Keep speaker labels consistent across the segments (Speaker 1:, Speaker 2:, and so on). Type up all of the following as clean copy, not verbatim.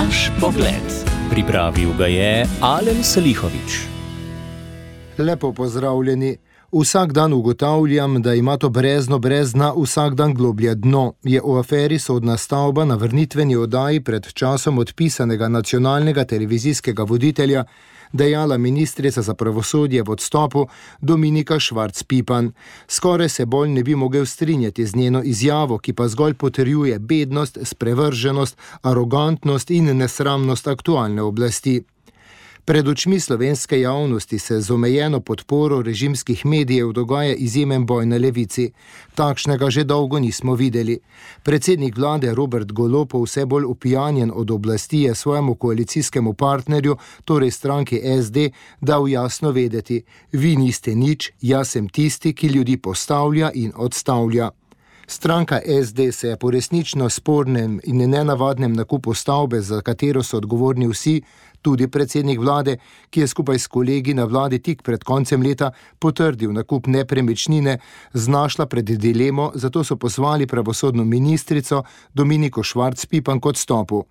Speaker 1: Naš pogled. Pripravil ga je Alen Salihović.
Speaker 2: Lepo pozdravljeni. Vsak dan ugotavljam, da ima to brezno brez dna vsak dan globlje dno. Je v aferi Sodna stavba na vrnitveni oddaji pred časom odpisanega nacionalnega televizijskega voditelja dejala ministrica za pravosodje v odstopu Dominika Švarc Pipan. Skoraj se bolj ne bi mogel strinjati z njeno izjavo, ki pa zgolj potrjuje bednost, sprevrženost, arogantnost in nesramnost aktualne oblasti. Pred očmi slovenske javnosti se z omejeno podporo režimskih medijev dogaja izjemen boj na levici. Takšnega že dolgo nismo videli. Predsednik vlade Robert Golob, vse bolj opijanjen od oblasti, je svojemu koalicijskemu partnerju, torej stranki SD, dal jasno vedeti: vi niste nič, jaz sem tisti, ki ljudi postavlja in odstavlja. Stranka SD se je po resnično spornem in nenavadnem nakupu stavbe, za katero so odgovorni vsi, tudi predsednik vlade, ki je skupaj s kolegi na vladi tik pred koncem leta potrdil nakup nepremičnine, znašla pred dilemo, zato so pozvali pravosodno ministrico Dominiko Švarc Pipan k odstopu.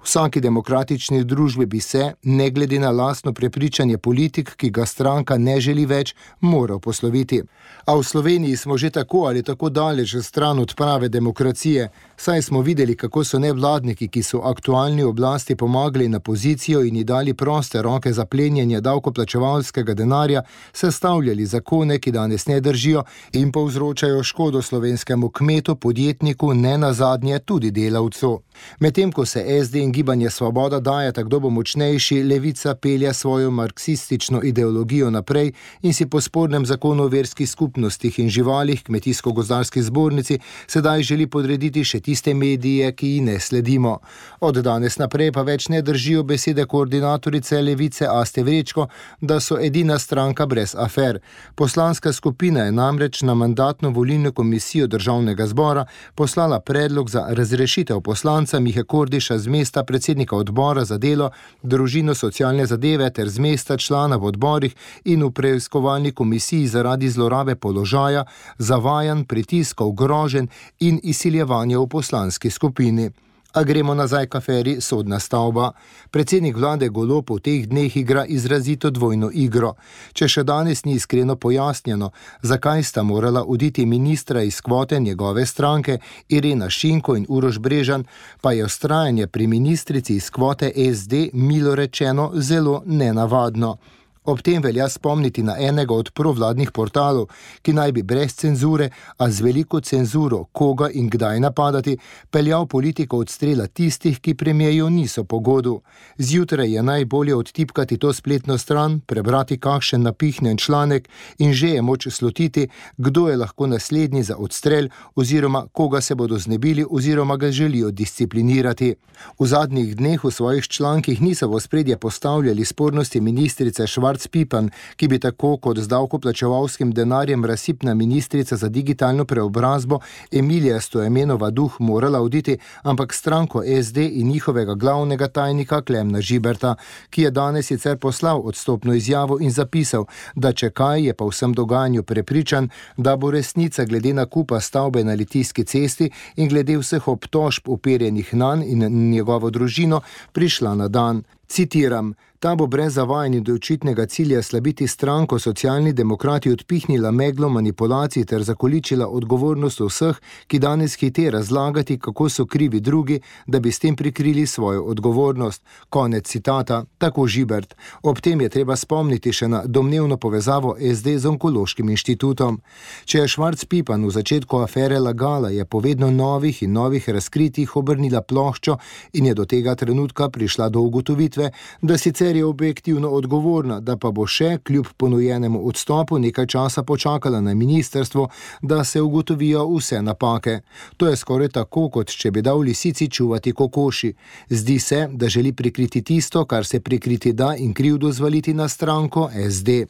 Speaker 2: V vsaki demokratični družbi bi se, ne glede na lastno prepričanje politik, ki ga stranka ne želi več, moral posloviti. A v Sloveniji smo že tako ali tako daleč stran od prave demokracije, saj smo videli, kako so nevladniki, ki so aktualni oblasti pomagali na pozicijo in ji dali proste roke za plenjenje davkoplačevalskega denarja, sestavljali zakone, ki danes ne držijo in povzročajo škodo slovenskemu kmetu, podjetniku, ne nazadnje tudi delavcu. Medtem ko se SD in Gibanje Svoboda dajeta, kdo bo močnejši, levica pelje svojo marksistično ideologijo naprej in si po spornem zakonu o verskih skupnostih in živalih Kmetijsko-gozdarski zbornici sedaj želi podrediti še tiste medije, ki ji ne sledimo. Od danes naprej pa več ne držijo besede koordinatorice levice Aste Vrečko, da so edina stranka brez afer. Poslanska skupina je namreč na mandatno-volilno komisijo Državnega zbora poslala predlog za razrešitev poslanca Mihe Kordiša z mesta predsednika odbora za delo, družino, socialne zadeve ter z mesta člana v odborih in v preiskovalni komisiji zaradi zlorabe položaja, zavajanj, pritiskov, groženj in izsiljevanja v poslanski skupini. A gremo nazaj k aferi Sodna stavba. Predsednik vlade Golob v teh dneh igra izrazito dvojno igro. Če še danes ni iskreno pojasnjeno, zakaj sta morala oditi ministra iz kvote njegove stranke Irena Šinko in Uroš Brežan, pa je vztrajanje pri ministrici iz kvote SD milo rečeno zelo nenavadno. Ob tem velja spomniti na enega od provladnih portalov, ki naj bi brez cenzure, a z veliko cenzuro, koga in kdaj napadati, peljal politiko od strela tistih, ki premijeju niso po godu. Zjutraj je najbolje odtipkati to spletno stran, prebrati kakšen napihnjen članek in že je moč slutiti, kdo je lahko naslednji za odstrel oziroma koga se bodo znebili oziroma ga želijo disciplinirati. V zadnjih dneh v svojih člankih niso v ospredje postavljali spornosti ministrice Švarc Pipan, ki bi tako kot z davkoplačevalskim denarjem razsipna ministrica za digitalno preobrazbo Emilija Stojmenova Duh morala oditi, ampak stranko SD in njihovega glavnega tajnika Klemna Žiberta, ki je danes sicer poslal odstopno izjavo in zapisal, da če kaj, je pa v vsem dogajanju prepričan, da bo resnica glede nakupa stavbe na Litijski cesti in glede vseh obtožb uperjenih nanj in njegovo družino prišla na dan. Citiram: ta bo brez zavajanja do očitnega cilja slabiti stranko Socialni demokrati odpihnila meglo manipulacij ter zakoličila odgovornost vseh, ki danes hite razlagati, kako so krivi drugi, da bi s tem prikrili svojo odgovornost. Konec citata, tako Žibert. Ob tem je treba spomniti še na domnevno povezavo SD z Onkološkim inštitutom. Če je Švarc Pipan v začetku afere lagala, je po vedno novih in novih razkritjih obrnila ploščo in je do tega trenutka prišla do ugotovitve, da sicer je objektivno odgovorna, da pa bo še kljub ponujenemu odstopu nekaj časa počakala na ministrstvo, da se ugotovijo vse napake. To je skoraj tako, kot če bi dal lisici čuvati kokoši. Zdi se, da želi prikriti tisto, kar se prikriti da, in krivdo zvaliti na stranko SD.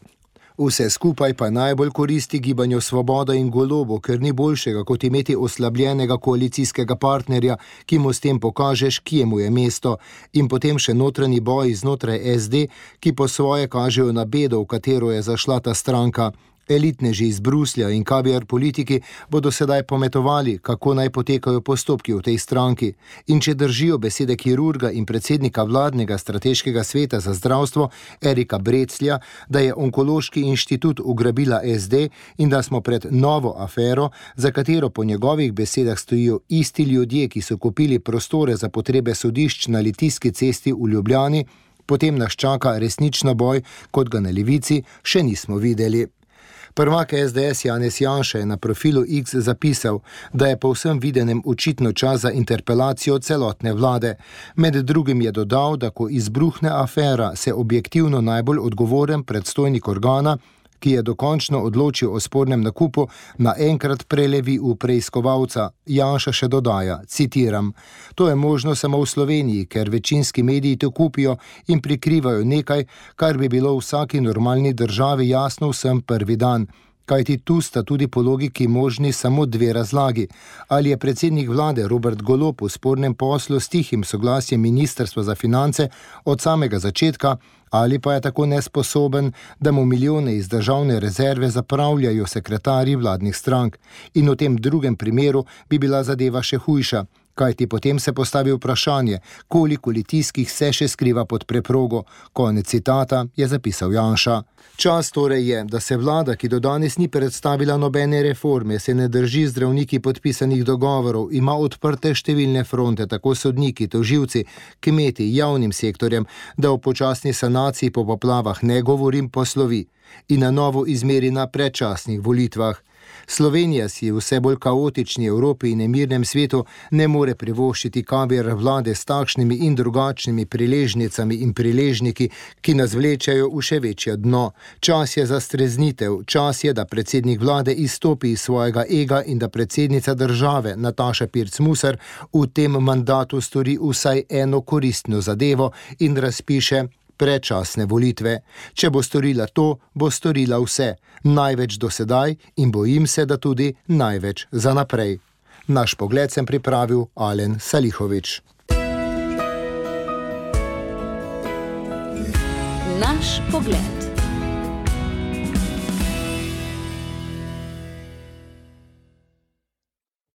Speaker 2: Vse skupaj pa najbolj koristi Gibanju Svoboda in Golobu, ker ni boljšega, kot imeti oslabljenega koalicijskega partnerja, ki mu s tem pokažeš, kje mu je mesto, in potem še notranji boj znotraj SD, ki po svoje kažejo na bedo, v katero je zašla ta stranka. Elitneži iz Bruslja in kaviar politiki bodo sedaj pometovali, kako naj potekajo postopki v tej stranki. In če držijo besede kirurga in predsednika vladnega strateškega sveta za zdravstvo Erika Breclja, da je onkološki inštitut ugrabila SD in da smo pred novo afero, za katero po njegovih besedah stojijo isti ljudje, ki so kupili prostore za potrebe sodišč na Litijski cesti v Ljubljani, potem nas čaka resnično boj, kot ga na levici še nismo videli. Prvak SDS Janez Janša je na profilu X zapisal, da je po vsem videnem očitno čas za interpelacijo celotne vlade. Med drugim je dodal, da ko izbruhne afera, se objektivno najbolj odgovoren predstojnik organa, ki je dokončno odločil o spornem nakupu, naenkrat prelevi v preiskovalca. Janša še dodaja, citiram, to je možno samo v Sloveniji, ker večinski mediji to kupijo in prikrivajo nekaj, kar bi bilo v vsaki normalni državi jasno vsem prvi dan. Kajti tu sta tudi po logiki možni samo dve razlagi. Ali je predsednik vlade Robert Golob v spornem poslu s tihim soglasjem Ministrstva za finance od samega začetka, ali pa je tako nesposoben, da mu milijone iz državne rezerve zapravljajo sekretarji vladnih strank. In v tem drugem primeru bi bila zadeva še hujša. Kajti potem se postavi vprašanje, koliko litijskih se še skriva pod preprogo. Konec citata, je zapisal Janša. Čas torej je, da se vlada, ki do danes ni predstavila nobene reforme, se ne drži zdravniki podpisanih dogovorov, ima odprte številne fronte, tako sodniki, tožilci, kmeti, javnim sektorjem, da o počasni sanaciji po poplavah ne govorim, poslovi in na novo izmeri na predčasnih volitvah. Slovenija si v vse bolj kaotični Evropi in nemirnem svetu ne more privoščiti kaviar vlade s takšnimi in drugačnimi priležnicami in priležniki, ki nas vlečajo v še večje dno. Čas je za streznitev, čas je, da predsednik vlade izstopi iz svojega ega in da predsednica države Nataša Pirc Musar v tem mandatu stori vsaj eno koristno zadevo in razpiše predčasne volitve. Če bo storila to, bo storila vse, največ do sedaj in bojim se, da tudi največ za naprej. Naš pogled sem pripravil Alen Salihovič.
Speaker 3: Naš pogled.